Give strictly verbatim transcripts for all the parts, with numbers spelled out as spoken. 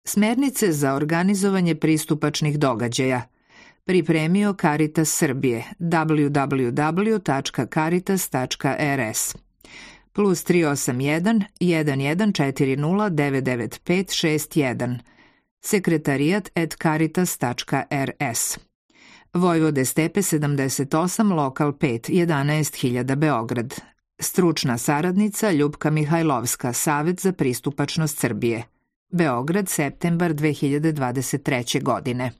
Smernice za organizovanje pristupačnih događaja. Pripremio Caritas Srbije w w w tačka caritas tačka r s plus tri osam jedan, jedan jedan četiri nula, devet devet pet šest jedan sekretarijat at caritas tačka r s Vojvode Stepe sedamdeset osam, lokal pet, jedanaest hiljada Beograd. Stručna saradnica Ljupka Mihajlovska, Savet za pristupačnost Srbije. Beograd, septembar dve hiljade dvadeset treće. godine.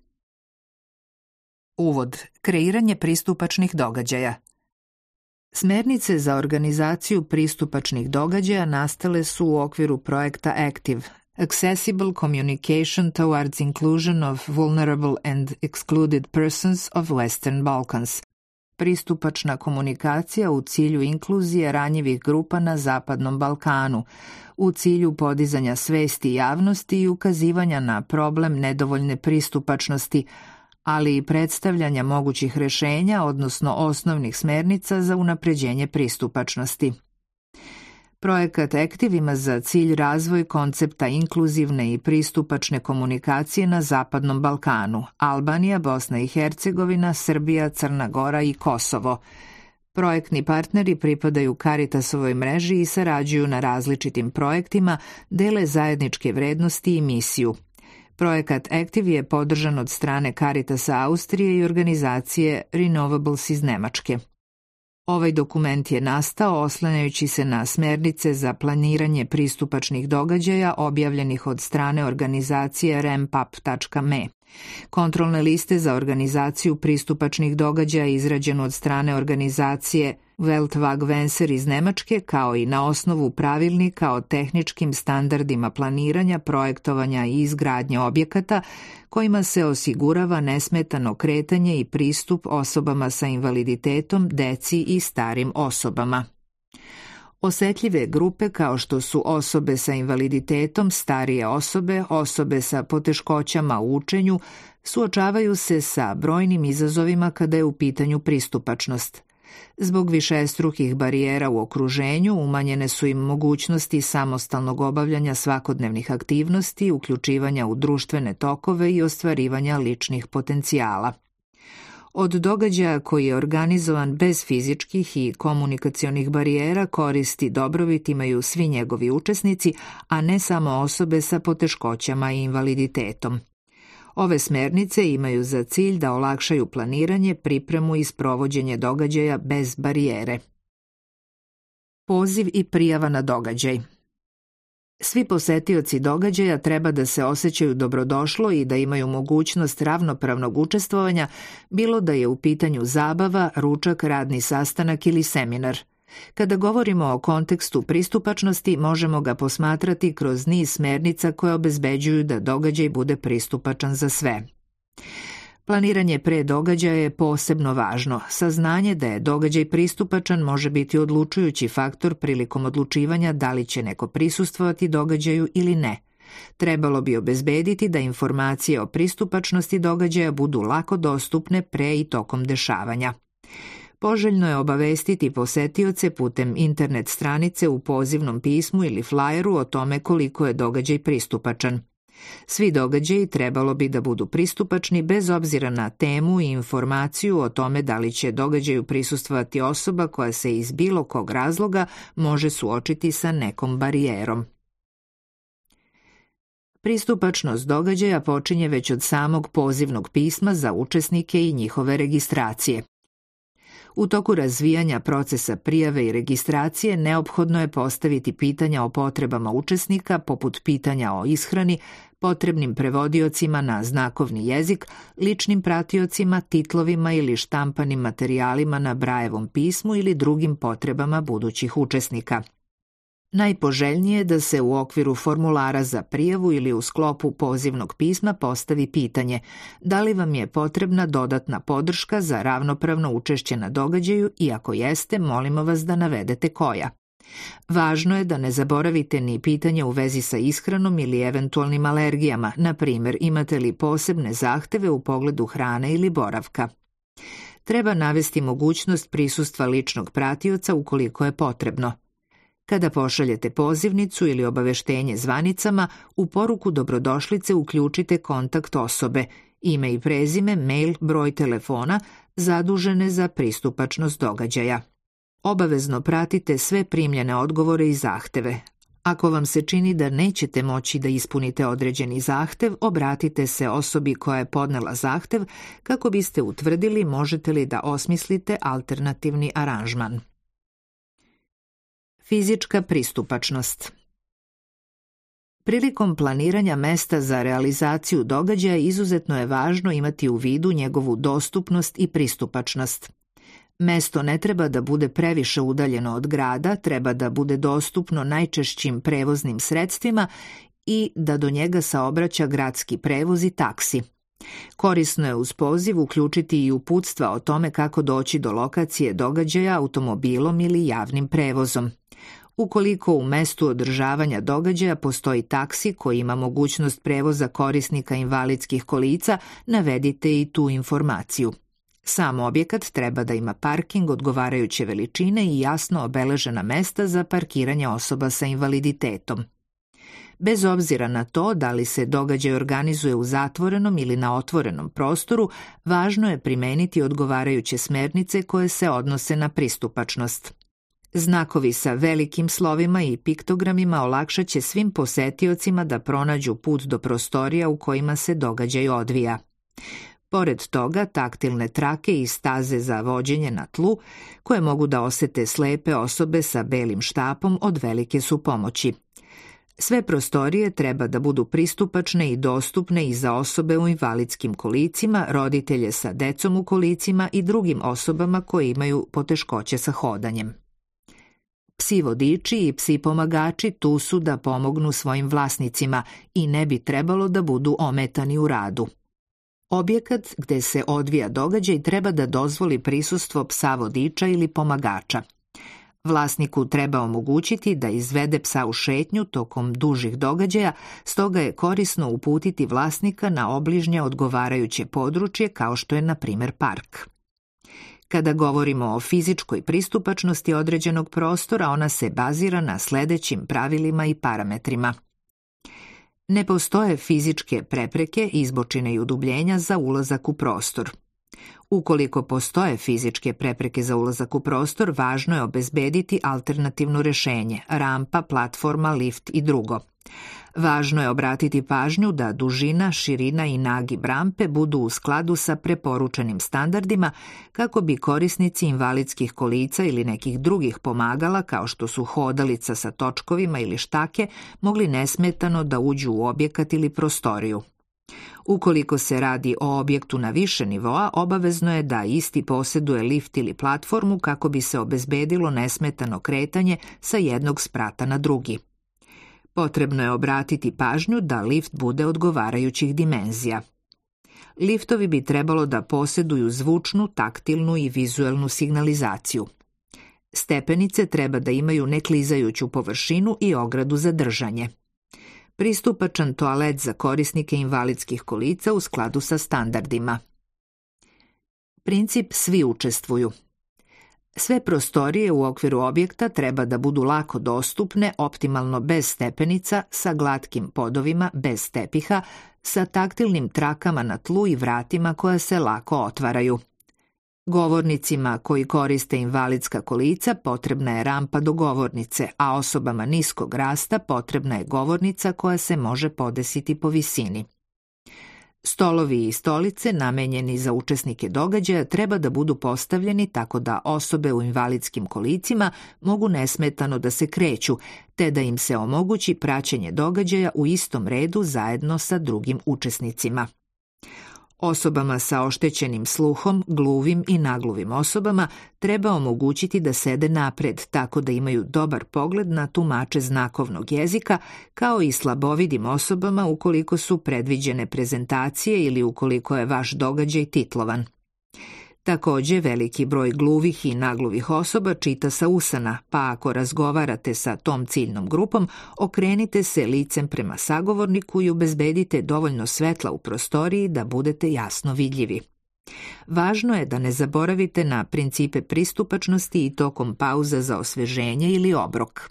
Uvod. Kreiranje pristupačnih događaja. Smernice za organizaciju pristupačnih događaja nastale su u okviru projekta ACTIVE, Accessible Communication Towards Inclusion of Vulnerable and Excluded Persons of Western Balkans, pristupačna komunikacija u cilju inkluzije ranjivih grupa na Zapadnom Balkanu, u cilju podizanja svesti javnosti i ukazivanja na problem nedovoljne pristupačnosti, ali i predstavljanja mogućih rešenja, odnosno osnovnih smernica za unapređenje pristupačnosti. Projekat ACTIVE ima za cilj razvoj koncepta inkluzivne i pristupačne komunikacije na Zapadnom Balkanu, Albanija, Bosna i Hercegovina, Srbija, Crna Gora i Kosovo. Projektni partneri pripadaju Caritasovoj mreži i sarađuju na različitim projektima, dele zajedničke vrednosti i misiju. Projekat ACTIVE je podržan od strane Caritasa Austrije i organizacije Renovables iz Nemačke. Ovaj dokument je nastao oslanjajući se na smernice za planiranje pristupačnih događaja objavljenih od strane organizacije rampap tačka me. Kontrolne liste za organizaciju pristupačnih događaja izrađeno od strane organizacije Weltwag-Venser iz Nemačke, kao i na osnovu pravilnika o tehničkim standardima planiranja, projektovanja i izgradnje objekata, kojima se osigurava nesmetano kretanje i pristup osobama sa invaliditetom, deci i starim osobama. Osetljive grupe kao što su osobe sa invaliditetom, starije osobe, osobe sa poteškoćama u učenju, suočavaju se sa brojnim izazovima kada je u pitanju pristupačnost. Zbog višestrukih barijera u okruženju umanjene su im mogućnosti samostalnog obavljanja svakodnevnih aktivnosti, uključivanja u društvene tokove i ostvarivanja ličnih potencijala. Od događaja koji je organizovan bez fizičkih i komunikacionih barijera koristi dobrobit imaju svi njegovi učesnici, a ne samo osobe sa poteškoćama i invaliditetom. Ove smernice imaju za cilj da olakšaju planiranje, pripremu i sprovođenje događaja bez barijere. Poziv i prijava na događaj. Svi posetioci događaja treba da se osjećaju dobrodošlo i da imaju mogućnost ravnopravnog učestvovanja, bilo da je u pitanju zabava, ručak, radni sastanak ili seminar. Kada govorimo o kontekstu pristupačnosti, možemo ga posmatrati kroz niz smernica koje obezbeđuju da događaj bude pristupačan za sve. Planiranje pre događaja je posebno važno. Saznanje da je događaj pristupačan može biti odlučujući faktor prilikom odlučivanja da li će neko prisustvovati događaju ili ne. Trebalo bi obezbediti da informacije o pristupačnosti događaja budu lako dostupne pre i tokom dešavanja. Poželjno je obavestiti posetioce putem internet stranice u pozivnom pismu ili flajeru o tome koliko je događaj pristupačan. Svi događaji trebalo bi da budu pristupačni bez obzira na temu i informaciju o tome da li će događaju prisustvovati osoba koja se iz bilo kog razloga može suočiti sa nekom barijerom. Pristupačnost događaja počinje već od samog pozivnog pisma za učesnike i njihove registracije. U toku razvijanja procesa prijave i registracije neophodno je postaviti pitanja o potrebama učesnika, poput pitanja o ishrani, potrebnim prevodiocima na znakovni jezik, ličnim pratiocima, titlovima ili štampanim materijalima na Brajevom pismu ili drugim potrebama budućih učesnika. Najpoželjnije je da se u okviru formulara za prijavu ili u sklopu pozivnog pisma postavi pitanje da li vam je potrebna dodatna podrška za ravnopravno učešće na događaju i ako jeste, molimo vas da navedete koja. Važno je da ne zaboravite ni pitanje u vezi sa ishranom ili eventualnim alergijama, na primjer imate li posebne zahteve u pogledu hrane ili boravka. Treba navesti mogućnost prisustva ličnog pratioca ukoliko je potrebno. Kada pošaljete pozivnicu ili obaveštenje zvanicama, u poruku dobrodošlice uključite kontakt osobe, ime i prezime, mail, broj telefona, zadužene za pristupačnost događaja. Obavezno pratite sve primljene odgovore i zahteve. Ako vam se čini da nećete moći da ispunite određeni zahtev, obratite se osobi koja je podnela zahtev kako biste utvrdili možete li da osmislite alternativni aranžman. Fizička pristupačnost. Prilikom planiranja mesta za realizaciju događaja izuzetno je važno imati u vidu njegovu dostupnost i pristupačnost. Mesto ne treba da bude previše udaljeno od grada, treba da bude dostupno najčešćim prevoznim sredstvima i da do njega saobraća gradski prevoz i taksi. Korisno je uz poziv uključiti i uputstva o tome kako doći do lokacije događaja automobilom ili javnim prevozom. Ukoliko u mestu održavanja događaja postoji taksi koji ima mogućnost prevoza korisnika invalidskih kolica, navedite i tu informaciju. Sam objekat treba da ima parking odgovarajuće veličine i jasno obeležena mesta za parkiranje osoba sa invaliditetom. Bez obzira na to da li se događaj organizuje u zatvorenom ili na otvorenom prostoru, važno je primeniti odgovarajuće smernice koje se odnose na pristupačnost. Znakovi sa velikim slovima i piktogramima olakšat će svim posetiocima da pronađu put do prostorija u kojima se događaj odvija. Pored toga, taktilne trake i staze za vođenje na tlu, koje mogu da osete slepe osobe sa belim štapom, od velike su pomoći. Sve prostorije treba da budu pristupačne i dostupne i za osobe u invalidskim kolicima, roditelje sa decom u kolicima i drugim osobama koje imaju poteškoće sa hodanjem. Psi vodiči i psi pomagači tu su da pomognu svojim vlasnicima i ne bi trebalo da budu ometani u radu. Objekat gde se odvija događaj treba da dozvoli prisustvo psa vodiča ili pomagača. Vlasniku treba omogućiti da izvede psa u šetnju tokom dužih događaja, stoga je korisno uputiti vlasnika na obližnje odgovarajuće područje kao što je na primjer park. Kada govorimo o fizičkoj pristupačnosti određenog prostora, ona se bazira na sledećim pravilima i parametrima. Ne postoje fizičke prepreke, izbočine i udubljenja za ulazak u prostor. Ukoliko postoje fizičke prepreke za ulazak u prostor, važno je obezbediti alternativno rešenje, rampa, platforma, lift i drugo. Važno je obratiti pažnju da dužina, širina i nagib rampe budu u skladu sa preporučenim standardima kako bi korisnici invalidskih kolica ili nekih drugih pomagala kao što su hodalica sa točkovima ili štake mogli nesmetano da uđu u objekat ili prostoriju. Ukoliko se radi o objektu na više nivoa, obavezno je da isti posjeduje lift ili platformu kako bi se obezbedilo nesmetano kretanje sa jednog sprata na drugi. Potrebno je obratiti pažnju da lift bude odgovarajućih dimenzija. Liftovi bi trebalo da posjeduju zvučnu, taktilnu i vizuelnu signalizaciju. Stepenice treba da imaju neklizajuću površinu i ogradu za držanje. Pristupačan toalet za korisnike invalidskih kolica u skladu sa standardima. Princip svi učestvuju. Sve prostorije u okviru objekta treba da budu lako dostupne, optimalno bez stepenica, sa glatkim podovima, bez tepiha, sa taktilnim trakama na tlu i vratima koja se lako otvaraju. Govornicima koji koriste invalidska kolica potrebna je rampa do govornice, a osobama niskog rasta potrebna je govornica koja se može podesiti po visini. Stolovi i stolice namenjeni za učesnike događaja treba da budu postavljeni tako da osobe u invalidskim kolicima mogu nesmetano da se kreću, te da im se omogući praćenje događaja u istom redu zajedno sa drugim učesnicima. Osobama sa oštećenim sluhom, gluvim i nagluvim osobama treba omogućiti da sede napred tako da imaju dobar pogled na tumače znakovnog jezika, kao i slabovidim osobama ukoliko su predviđene prezentacije ili ukoliko je vaš događaj titlovan. Također, veliki broj gluvih i nagluvih osoba čita sa usana, pa ako razgovarate sa tom ciljnom grupom, okrenite se licem prema sagovorniku i obezbedite dovoljno svetla u prostoriji da budete jasno vidljivi. Važno je da ne zaboravite na principe pristupačnosti i tokom pauza za osveženje ili obrok.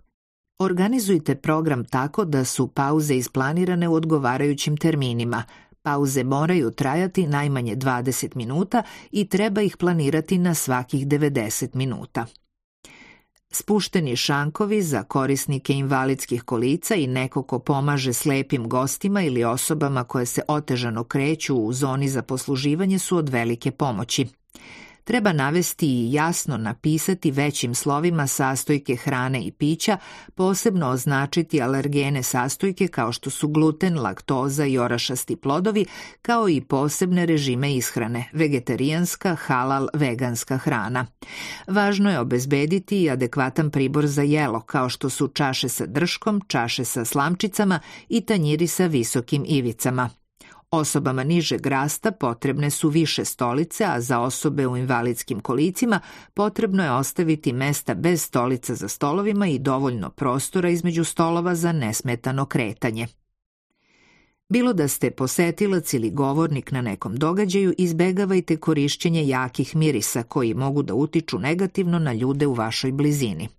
Organizujte program tako da su pauze isplanirane u odgovarajućim terminima. Pauze moraju trajati najmanje dvadeset minuta i treba ih planirati na svakih devedeset minuta. Spušteni šankovi za korisnike invalidskih kolica i neko ko pomaže slepim gostima ili osobama koje se otežano kreću u zoni za posluživanje su od velike pomoći. Treba navesti i jasno napisati većim slovima sastojke hrane i pića, posebno označiti alergene sastojke kao što su gluten, laktoza i orašasti plodovi, kao i posebne režime ishrane, vegetarijanska, halal, veganska hrana. Važno je obezbediti i adekvatan pribor za jelo, kao što su čaše sa drškom, čaše sa slamčicama i tanjiri sa visokim ivicama. Osobama nižeg rasta potrebne su više stolice, a za osobe u invalidskim kolicima potrebno je ostaviti mesta bez stolica za stolovima i dovoljno prostora između stolova za nesmetano kretanje. Bilo da ste posetilac ili govornik na nekom događaju, izbegavajte korišćenje jakih mirisa koji mogu da utiču negativno na ljude u vašoj blizini.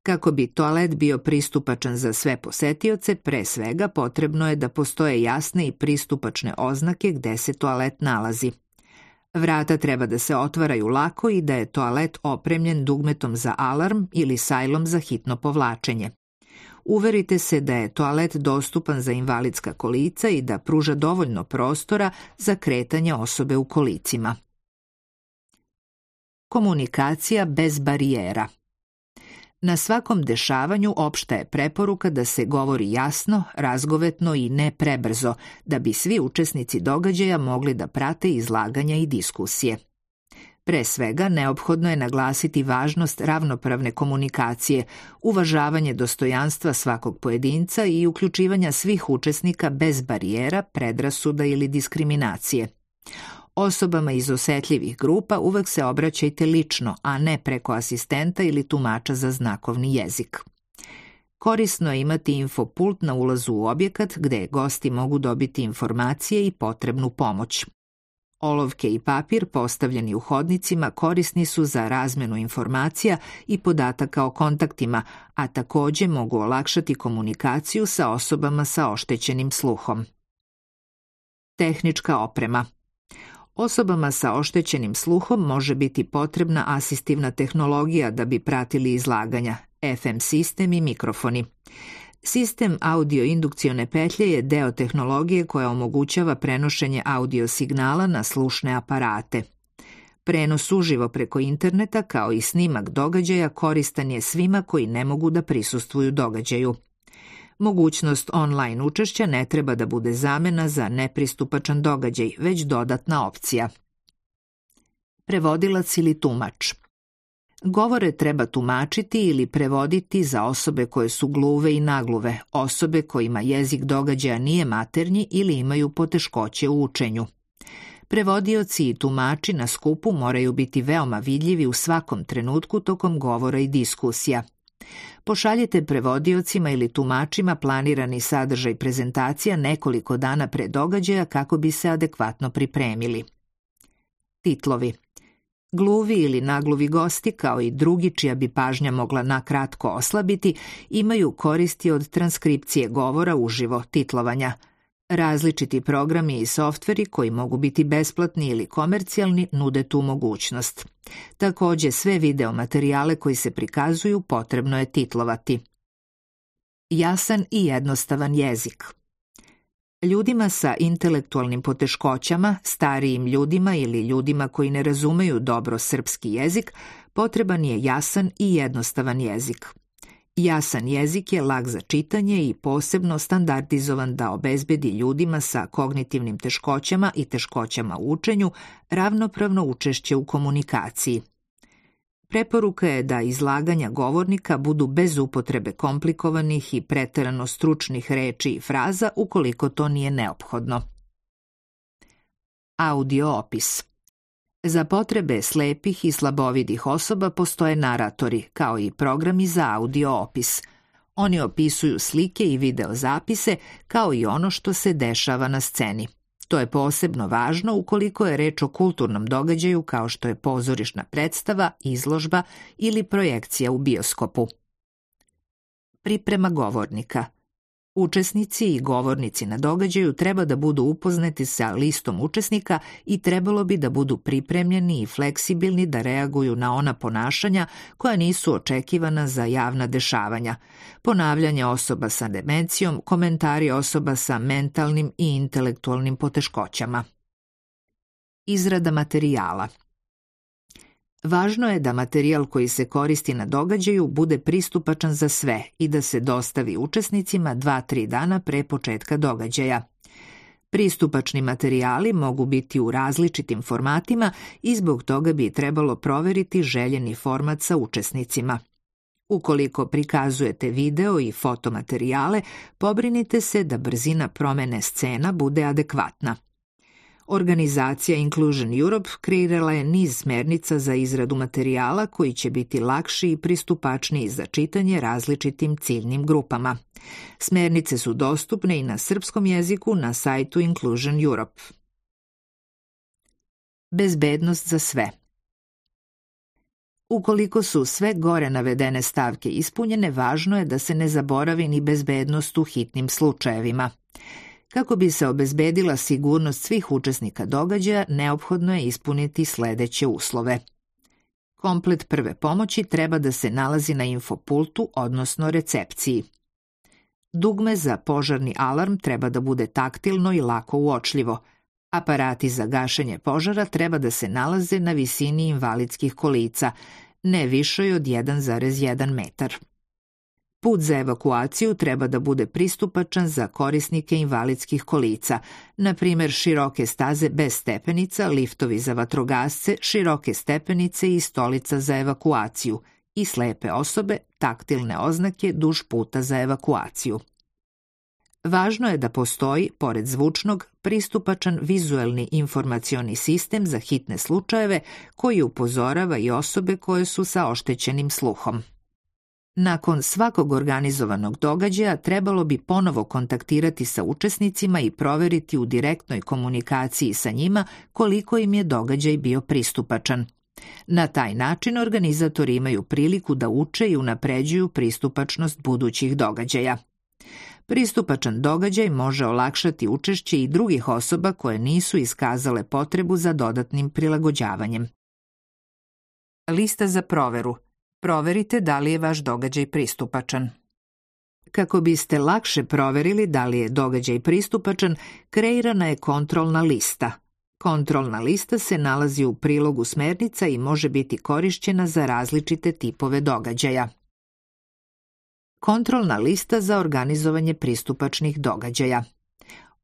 Kako bi toalet bio pristupačan za sve posetioce, pre svega potrebno je da postoje jasne i pristupačne oznake gde se toalet nalazi. Vrata treba da se otvaraju lako i da je toalet opremljen dugmetom za alarm ili sajlom za hitno povlačenje. Uverite se da je toalet dostupan za invalidska kolica i da pruža dovoljno prostora za kretanje osobe u kolicima. Komunikacija bez barijera. Na svakom dešavanju opšta je preporuka da se govori jasno, razgovetno i ne prebrzo, da bi svi učesnici događaja mogli da prate izlaganja i diskusije. Pre svega, neophodno je naglasiti važnost ravnopravne komunikacije, uvažavanje dostojanstva svakog pojedinca i uključivanja svih učesnika bez barijera, predrasuda ili diskriminacije. Osobama iz osetljivih grupa uvek se obraćajte lično, a ne preko asistenta ili tumača za znakovni jezik. Korisno je imati infopult na ulazu u objekat gde gosti mogu dobiti informacije i potrebnu pomoć. Olovke i papir postavljeni u hodnicima korisni su za razmenu informacija i podataka o kontaktima, a takođe mogu olakšati komunikaciju sa osobama sa oštećenim sluhom. Tehnička oprema. Osobama sa oštećenim sluhom može biti potrebna asistivna tehnologija da bi pratili izlaganja, F M sistem i mikrofoni. Sistem audio-indukcione petlje je deo tehnologije koja omogućava prenošenje audio signala na slušne aparate. Prenos uživo preko interneta kao i snimak događaja koristan je svima koji ne mogu da prisustvuju događaju. Mogućnost online učešća ne treba da bude zamena za nepristupačan događaj, već dodatna opcija. Prevodilac ili tumač. Govore treba tumačiti ili prevoditi za osobe koje su gluve i nagluve, osobe kojima jezik događaja nije maternji ili imaju poteškoće u učenju. Prevodioci i tumači na skupu moraju biti veoma vidljivi u svakom trenutku tokom govora i diskusija. Pošaljite prevodiocima ili tumačima planirani sadržaj prezentacija nekoliko dana pre događaja kako bi se adekvatno pripremili. Titlovi. Gluvi ili nagluvi gosti, kao i drugi čija bi pažnja mogla nakratko oslabiti, imaju koristi od transkripcije govora uživo, titlovanja. Različiti programi i softveri koji mogu biti besplatni ili komercijalni nude tu mogućnost. Takođe, sve video materijale koji se prikazuju potrebno je titlovati. Jasan i jednostavan jezik. Ljudima sa intelektualnim poteškoćama, starijim ljudima ili ljudima koji ne razumeju dobro srpski jezik, potreban je jasan i jednostavan jezik. Jasan jezik je lak za čitanje i posebno standardizovan da obezbedi ljudima sa kognitivnim teškoćama i teškoćama u učenju ravnopravno učešće u komunikaciji. Preporuka je da izlaganja govornika budu bez upotrebe komplikovanih i preterano stručnih reči i fraza ukoliko to nije neophodno. Audio opis. Za potrebe slepih i slabovidih osoba postoje naratori, kao i programi za audio opis. Oni opisuju slike i video zapise, kao i ono što se dešava na sceni. To je posebno važno ukoliko je reč o kulturnom događaju kao što je pozorišna predstava, izložba ili projekcija u bioskopu. Priprema govornika. Učesnici i govornici na događaju treba da budu upoznati sa listom učesnika i trebalo bi da budu pripremljeni i fleksibilni da reaguju na ona ponašanja koja nisu očekivana za javna dešavanja, ponavljanje osoba sa demencijom, komentari osoba sa mentalnim i intelektualnim poteškoćama. Izrada materijala. Važno je da materijal koji se koristi na događaju bude pristupačan za sve i da se dostavi učesnicima dva do tri dana pre početka događaja. Pristupačni materijali mogu biti u različitim formatima i zbog toga bi trebalo proveriti željeni format sa učesnicima. Ukoliko prikazujete video i fotomaterijale, pobrinite se da brzina promene scena bude adekvatna. Organizacija Inclusion Europe kreirala je niz smernica za izradu materijala koji će biti lakši i pristupačniji za čitanje različitim ciljnim grupama. Smernice su dostupne i na srpskom jeziku na sajtu Inclusion Europe. Bezbednost za sve. Ukoliko su sve gore navedene stavke ispunjene, važno je da se ne zaboravi ni bezbednost u hitnim slučajevima. Kako bi se obezbedila sigurnost svih učesnika događaja, neophodno je ispuniti sledeće uslove. Komplet prve pomoći treba da se nalazi na infopultu, odnosno recepciji. Dugme za požarni alarm treba da bude taktilno i lako uočljivo. Aparati za gašenje požara treba da se nalaze na visini invalidskih kolica, ne višoj od jedan zarez jedan metar. Put za evakuaciju treba da bude pristupačan za korisnike invalidskih kolica, na primjer široke staze bez stepenica, liftovi za vatrogasce, široke stepenice i stolica za evakuaciju i slepe osobe, taktilne oznake duž puta za evakuaciju. Važno je da postoji, pored zvučnog, pristupačan vizuelni informacioni sistem za hitne slučajeve koji upozorava i osobe koje su sa oštećenim sluhom. Nakon svakog organizovanog događaja trebalo bi ponovo kontaktirati sa učesnicima i proveriti u direktnoj komunikaciji sa njima koliko im je događaj bio pristupačan. Na taj način organizatori imaju priliku da uče i unapređuju pristupačnost budućih događaja. Pristupačan događaj može olakšati učešće i drugih osoba koje nisu iskazale potrebu za dodatnim prilagođavanjem. Lista za proveru. Proverite da li je vaš događaj pristupačan. Kako biste lakše proverili da li je događaj pristupačan, kreirana je kontrolna lista. Kontrolna lista se nalazi u prilogu smernica i može biti korišćena za različite tipove događaja. Kontrolna lista za organizovanje pristupačnih događaja.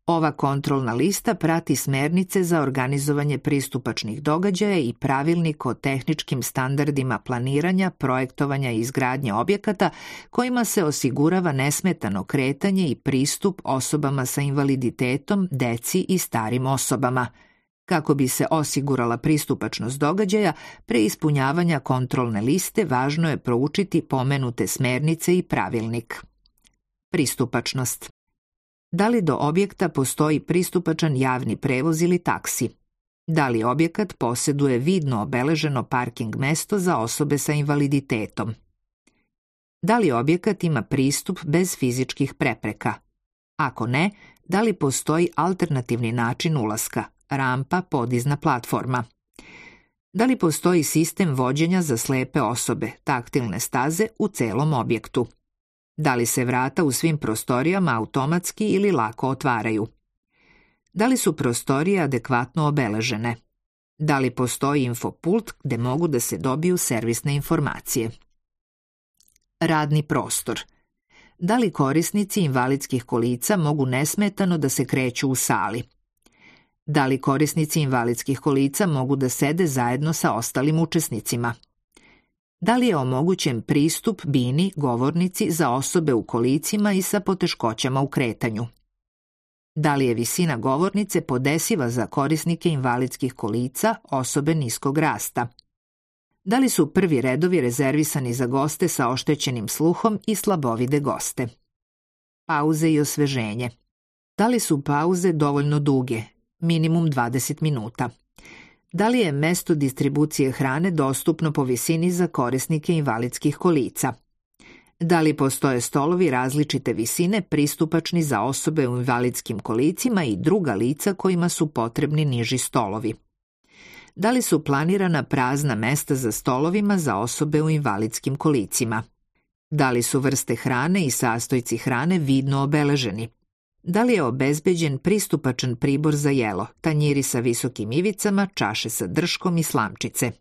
Ova kontrolna lista prati smernice za organizovanje pristupačnih događaja i pravilnik o tehničkim standardima planiranja, projektovanja i izgradnje objekata kojima se osigurava nesmetano kretanje i pristup osobama sa invaliditetom, deci i starim osobama. Kako bi se osigurala pristupačnost događaja, pre ispunjavanja kontrolne liste važno je proučiti pomenute smernice i pravilnik. Pristupačnost. Da li do objekta postoji pristupačan javni prevoz ili taksi? Da li objekat posjeduje vidno obeleženo parking mesto za osobe sa invaliditetom? Da li objekat ima pristup bez fizičkih prepreka? Ako ne, da li postoji alternativni način ulaska, rampa, podizna platforma? Da li postoji sistem vođenja za slepe osobe, taktilne staze u celom objektu? Da li se vrata u svim prostorijama automatski ili lako otvaraju? Da li su prostorije adekvatno obeležene? Da li postoji infopult gde mogu da se dobiju servisne informacije? Radni prostor. Da li korisnici invalidskih kolica mogu nesmetano da se kreću u sali? Da li korisnici invalidskih kolica mogu da sede zajedno sa ostalim učesnicima? Da li je omogućen pristup bini, govornici za osobe u kolicima i sa poteškoćama u kretanju? Da li je visina govornice podesiva za korisnike invalidskih kolica, osobe niskog rasta? Da li su prvi redovi rezervisani za goste sa oštećenim sluhom i slabovide goste? Pauze i osveženje. Da li su pauze dovoljno duge, minimum dvadeset minuta? Da li je mesto distribucije hrane dostupno po visini za korisnike invalidskih kolica? Da li postoje stolovi različite visine pristupačni za osobe u invalidskim kolicima i druga lica kojima su potrebni niži stolovi? Da li su planirana prazna mesta za stolovima za osobe u invalidskim kolicima? Da li su vrste hrane i sastojci hrane vidno obeleženi? Da li je obezbeđen pristupačan pribor za jelo, tanjiri sa visokim ivicama, čaše sa drškom i slamčice?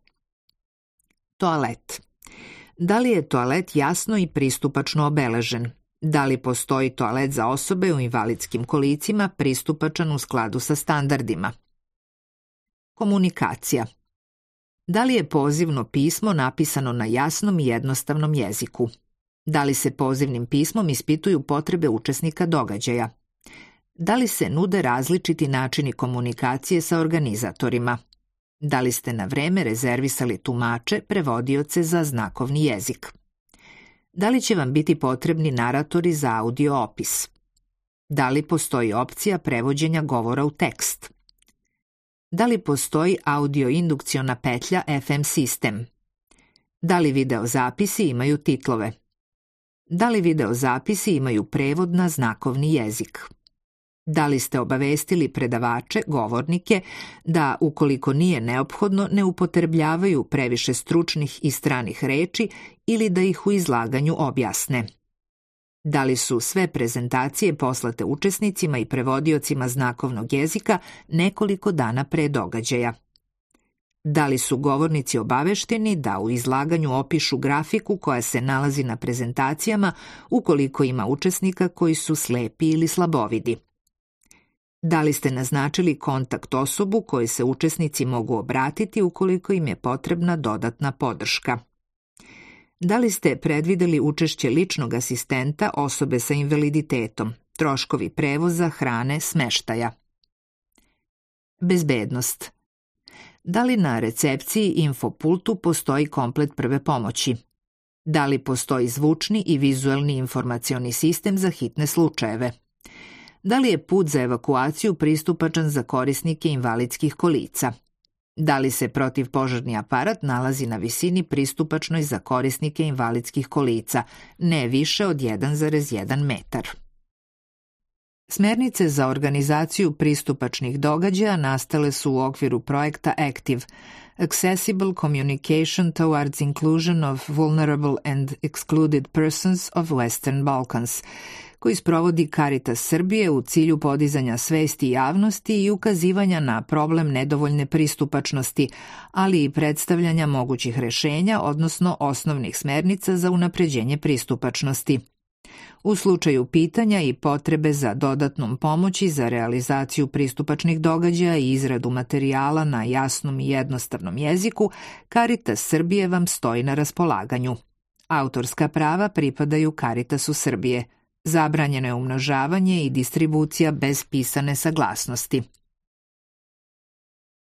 Toalet. Da li je toalet jasno i pristupačno obeležen? Da li postoji toalet za osobe u invalidskim kolicima pristupačan u skladu sa standardima? Komunikacija. Da li je pozivno pismo napisano na jasnom i jednostavnom jeziku? Da li se pozivnim pismom ispituju potrebe učesnika događaja? Da li se nude različiti načini komunikacije sa organizatorima? Da li ste na vreme rezervisali tumače, prevodioce za znakovni jezik? Da li će vam biti potrebni naratori za audio opis? Da li postoji opcija prevođenja govora u tekst? Da li postoji audio-indukciona petlja F M sistem? Da li videozapisi imaju titlove? Da li videozapisi imaju prevod na znakovni jezik? Da li ste obavestili predavače, govornike, da, ukoliko nije neophodno, ne upotrebljavaju previše stručnih i stranih reči ili da ih u izlaganju objasne? Da li su sve prezentacije poslate učesnicima i prevodiocima znakovnog jezika nekoliko dana pre događaja? Da li su govornici obavešteni da u izlaganju opišu grafiku koja se nalazi na prezentacijama ukoliko ima učesnika koji su slepi ili slabovidi? Da li ste naznačili kontakt osobu kojoj se učesnici mogu obratiti ukoliko im je potrebna dodatna podrška? Da li ste predvideli učešće ličnog asistenta osobe sa invaliditetom, troškovi prevoza, hrane, smeštaja? Bezbednost. Da li na recepciji i infopultu postoji komplet prve pomoći? Da li postoji zvučni i vizuelni informacioni sistem za hitne slučajeve? Da li je put za evakuaciju pristupačan za korisnike invalidskih kolica? Da li se protivpožarni aparat nalazi na visini pristupačnoj za korisnike invalidskih kolica, ne više od jedan zarez jedan metar? Smernice za organizaciju pristupačnih događaja nastale su u okviru projekta ACTIVE, Accessible Communication Towards Inclusion of Vulnerable and Excluded Persons of Western Balkans, koji sprovodi Caritas Srbije u cilju podizanja svesti javnosti i ukazivanja na problem nedovoljne pristupačnosti, ali i predstavljanja mogućih rešenja, odnosno osnovnih smernica za unapređenje pristupačnosti. U slučaju pitanja i potrebe za dodatnom pomoći za realizaciju pristupačnih događaja i izradu materijala na jasnom i jednostavnom jeziku, Caritas Srbije vam stoji na raspolaganju. Autorska prava pripadaju Caritasu Srbije. Zabranjeno je umnožavanje i distribucija bez pisane saglasnosti.